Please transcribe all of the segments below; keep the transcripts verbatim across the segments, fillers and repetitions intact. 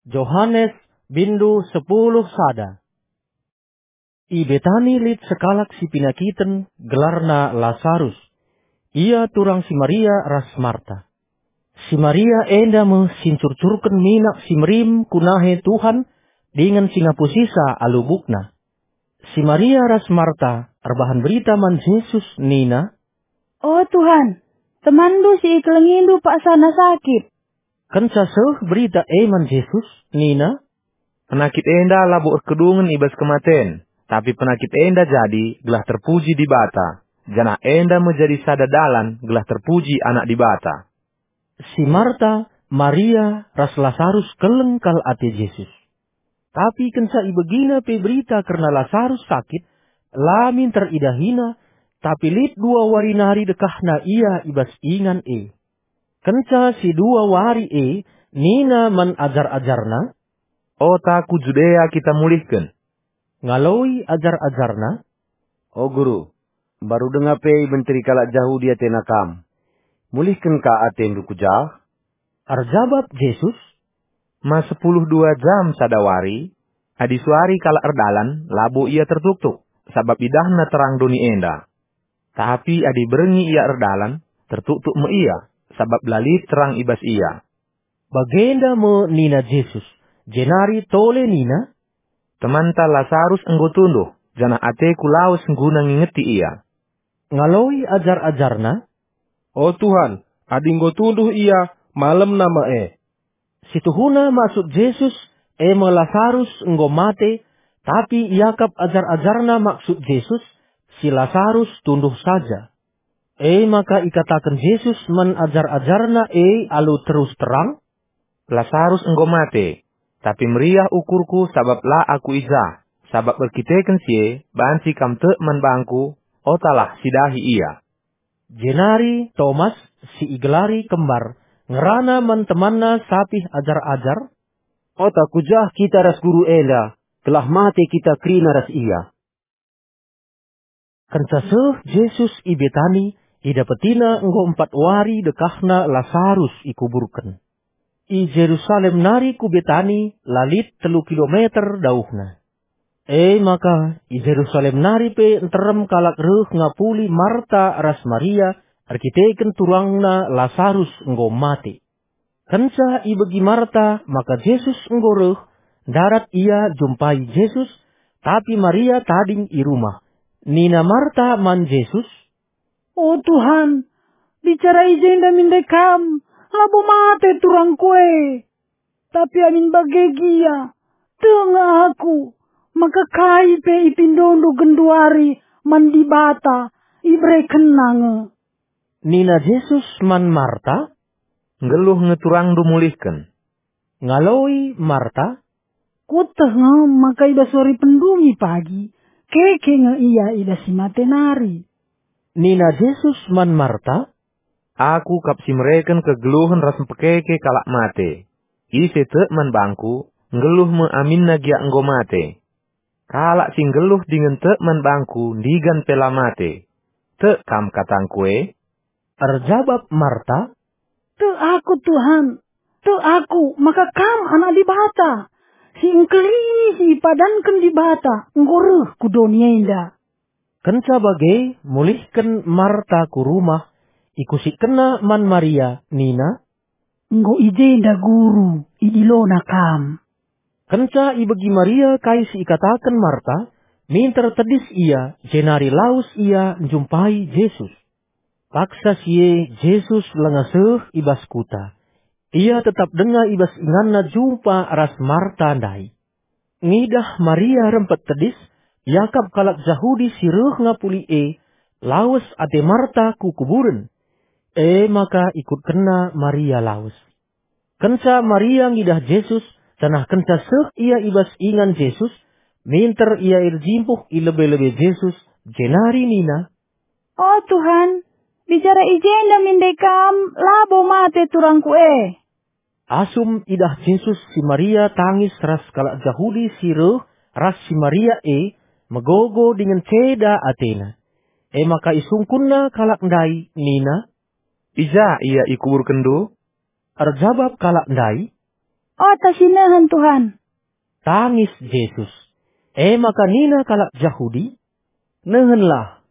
Johanes, bindu sepuluh sada. I Betani lit sekalak si penakiten, gelarna Lasarus. Ia turang si Maria ras Marta. Si Maria enda me si ncurcurken minak si merim ku nahe Tuhan dingen si ngapusisa alu bukna. Si Maria ras Marta erbahan berita man Jesus nina, "O Tuhan, temanndu si ikelengindu paksana sakit." Kenca seh berita e man Jesus, nina, "Penakit enda labo erkedungen i bas kematen, tapi penakit enda jadi gelah terpuji Dibata, janah enda me jadi sada dalan gelah terpuji Anak Dibata." Si Marta, Maria, ras Lasarus keleng kal ate Jesus. Tapi kenca ibegina pe berita kerna Lasarus sakit, la minter idahina, tapi lit dua wari nari dekahna ia i bas ingan e. Kenca si dua wari e, nina man ajar-ajarna, "Ota ku Judea kita mulihken." Ngaloi ajar-ajarna, "O Guru, mbaru denga pe ibenteri kalak Jahudi atena Kam. Mulihken ka atendu ku jah?" Erjabap Jesus, "Ma sepuluh dua jam sada wari? Adi suari kalak erdalan, labo ia tertuktuk, sabap idahna terang doni enda. Tapi adi berngi ia erdalan, tertuktuk me ia, sabap la lit terang i bas ia." Bagenda me nina Jesus, jenari tole nina, "Temanta Lasarus enggo tunduh, janah ateku lawes guna ngingeti ia." Ngaloi ajar-ajarna, "O Tuhan, adi enggo tunduh ia, malemna me e." Situhuna maksud Jesus, e me Lasarus enggo mate, tapi iakap ajar-ajarna maksud Jesus, si Lasarus tunduh saja. E maka ikataken Jesus man ajar-ajarna e alu terus terang, "Lasarus enggo mate, tapi meriah ukurku sabap la aku i jah, sabap erkiteken si e banci kam tek man bangku, otalah sidahi ia." Jenari Tomas, si igelari Kembar, ngerana man temanna sapih ajar-ajar, "Ota ku jah kita ras Guru enda, gelah mate kita kerina ras ia." Kenca seh Jesus i Betani, idapetina enggo empat wari dekahna Lasarus ikuburken. I Jerusalem nari ku Betani la lit telu kilometer dauhna. E maka, i Jerusalem nari pe nterem kalak reh ngapuli Marta ras Maria erkiteken turangna Lasarus enggo mate. Kenca ibegi Marta maka Jesus enggo reh, ndarat ia jumpai Jesus, tapi Maria tading i rumah. Nina Marta man Jesus, "O Tuhan, bicara i jenda min ndai Kam, labo mate turangku e. Tapi amin bage gia, tek nge aku, maka kai pe ipindoNdu genduari man Dibata, iberekenNa nge." Nina Jesus man Marta, "Nggeluh nge turangndu mulihken." Ngaloi Marta, "Kueteh nge maka i bas wari pendungi pagi, keke nge ia i bas si mate nari." Nina Jesus man Marta, "Aku kap si mereken kegeluhen ras mpekeke kalak mate. Ise tek man bangku, nggeluh me aminna gia enggo mate. Kalak si nggeluh dingen tek man bangku ndigan pe la mate. Tek kam katangku e?" Erjabap Marta, "Tek aku, Tuhan. Tek aku maka Kam Anak Dibata, si engkelini si ipadanken Dibata enggo reh ku doni enda." Kenca bage, mulihken Marta ku rumah, ikusikkenna man Maria, nina, "Enggo i jenda Guru, idilona Kam." Kenca ibegi Maria kai si ikataken Marta, minter tedis ia, jenari lawes ia njumpai Jesus. Paksa si e Jesus langa seh i bas kuta. Ia tetap denga i bas inganna jumpa ras Marta ndai. Ngidah Maria rempet tedis, iakap kalak Jahudi si reh ngapuli e, lawes ate Marta ku kuburen. E maka ikutkenna Maria lawes. Kenca Maria ngidah Jesus, janah kenca seh ia i bas ingan Jesus, minter ia erjimpuh i lebe-lebe Jesus, jenari nina, "O Tuhan, bicara i jenda min ndai Kam, labo mate turangku e." Asum idah Jesus si Maria tangis ras kalak Jahudi si reh ras si Maria e, megogo dingen ceda atena. E maka isungkunna kalak ndai nina, "I ja ia ikuburkenndu?" Erjabap kalak ndai, "Ota si nehen, Tuhan!" Tangis Jesus. E maka nina kalak Jahudi, "Nehenlah,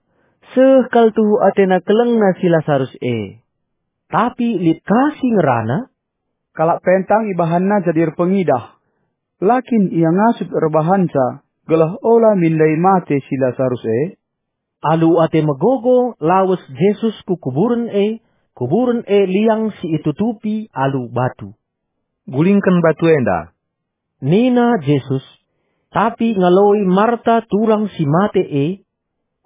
seh kal tuhu atena kelengna si Lasarus e." Tapi lit ka si ngerana, "Kalak pentang ibahanna jadi erpengidah. La kin ia ngasup erbahanca, gelah ola min ndai mate si Lasarus e?" Alu ate megogo lawes Jesus ku kuburen e, kuburen e liang si itutupi alu batu. "Gulingken batu enda," nina Jesus. Tapi ngaloi Marta turang si mate e,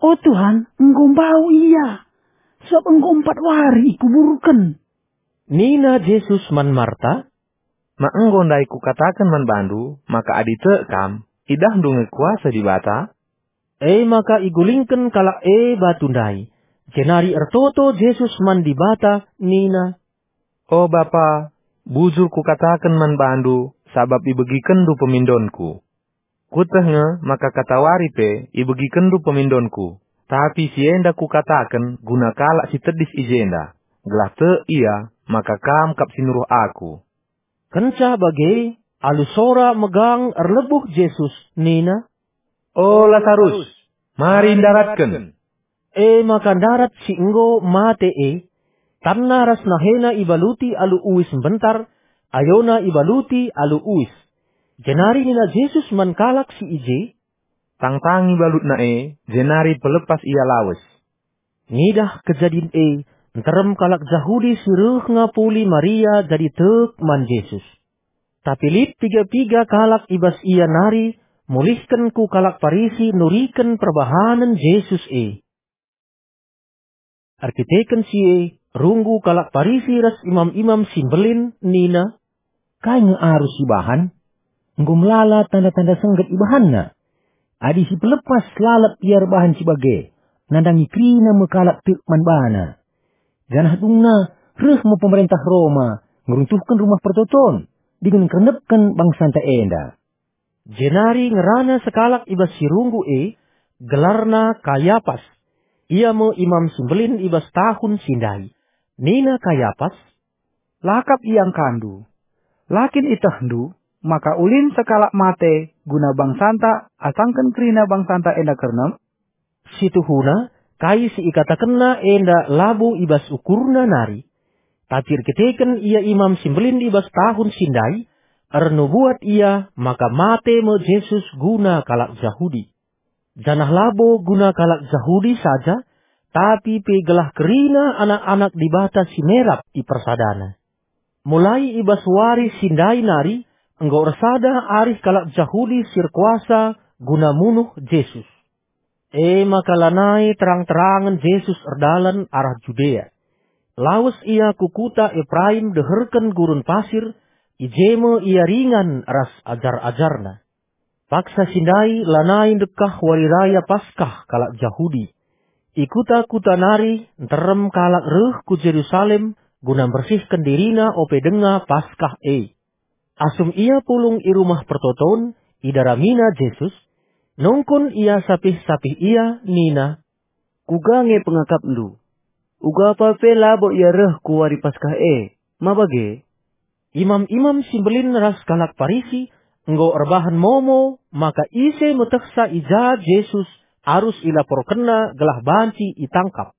"O Tuhan, enggo mbau ia, sabap enggo empat wari ikuburken." Nina Jesus man Marta, "Ma enggo ndai kukataken man bandu maka adi tek kam, idahndu nge kuasa Dibata?" E maka igulingken kalak e batu ndai, jenari ertoto Jesus man Dibata nina, "O Bapa, bujur kukataken man bandu sabap ibegikenndu pemindonku. Kueteh nge maka katawari pe ibegikenndu pemindonku, tapi si enda kukataken guna kalak si tedis i jenda, gelah tek ia maka kam kap si nuruh aku." Kenca bage, alu sora megang erlebuh Jesus nina, "O Lasarus, mari ndaratken." E maka ndarat si enggo mate e, tanna ras nahena ibaluti alu uis mbentar, ayona ibaluti alu uis. Jenari nina Jesus man kalak si i je, "Tangtangi balutna e, jenari pelepas ia lawes." Ngidah kejadin e, nterem kalak Jahudi si reh ngapuli Maria jadi tek man Jesus. Tapi lit piga-piga kalak i bas ia nari mulihken ku kalak Parisi nuriken perbahanen Jesus e. Erkiteken si e, runggu kalak Parisi ras imam-imam si mbelin nina, "Kai nge arus ibahan? Enggo melala tanda-tanda sengget ibahanna. Adi si pelepas lalap ia erbahan si bage, nandangi kerina me kalak tek man bana. Janah dungna reh me pemerentah Roma ngeruntuhken Rumah Pertoton dingen ngkernepken bangsanta enda." Jenari ngerana sekalak i bas si runggu e, gelarna Kayapas. Ia me imam si mbelin i bas tahun si ndai. Nina Kayapas, "La kap iangkandu. La kin itehndu maka ulin sekalak mate guna bangsanta asangken kerina bangsanta enda kernep?" Situhuna, kai si ikatakenna enda labo i bas ukurna nari. Tapi erkiteken ia imam si mbelin i bas tahun si ndai, ernubuat ia maka mate me Jesus guna kalak Jahudi. Janah labo guna kalak Jahudi saja, tapi pe gelah kerina anak-anak Dibata si merap ipersadana. Mulai i bas wari si ndai nari, enggo ersada arih kalak Jahudi si erkuasa guna munuh Jesus. E maka lanai terang-terangen Jesus erdalan arah Judea. Lawes ia ku kuta Epraim deherken gurun pasir, i je me ia ringan ras ajar-ajarna. Paksa si ndai lanai ndekah Wari Raya Paskah kalak Jahudi. I kuta-kuta nari nterem kalak reh ku Jerusalem guna mbersihken dirina ope denga Paskah e. Asum ia pulung i Rumah Pertoton, idaramina Jesus, nungkun ia sapih-sapih ia nina, "Kuga nge pengakapndu? Uga apa pe labo ia reh ku wari Paskah e, ma bage?" Imam-imam si mbelin ras kalak Parisi enggo erbahan momo maka ise metehsa i ja Jesus arus ilaporkenna gelah banci itangkap.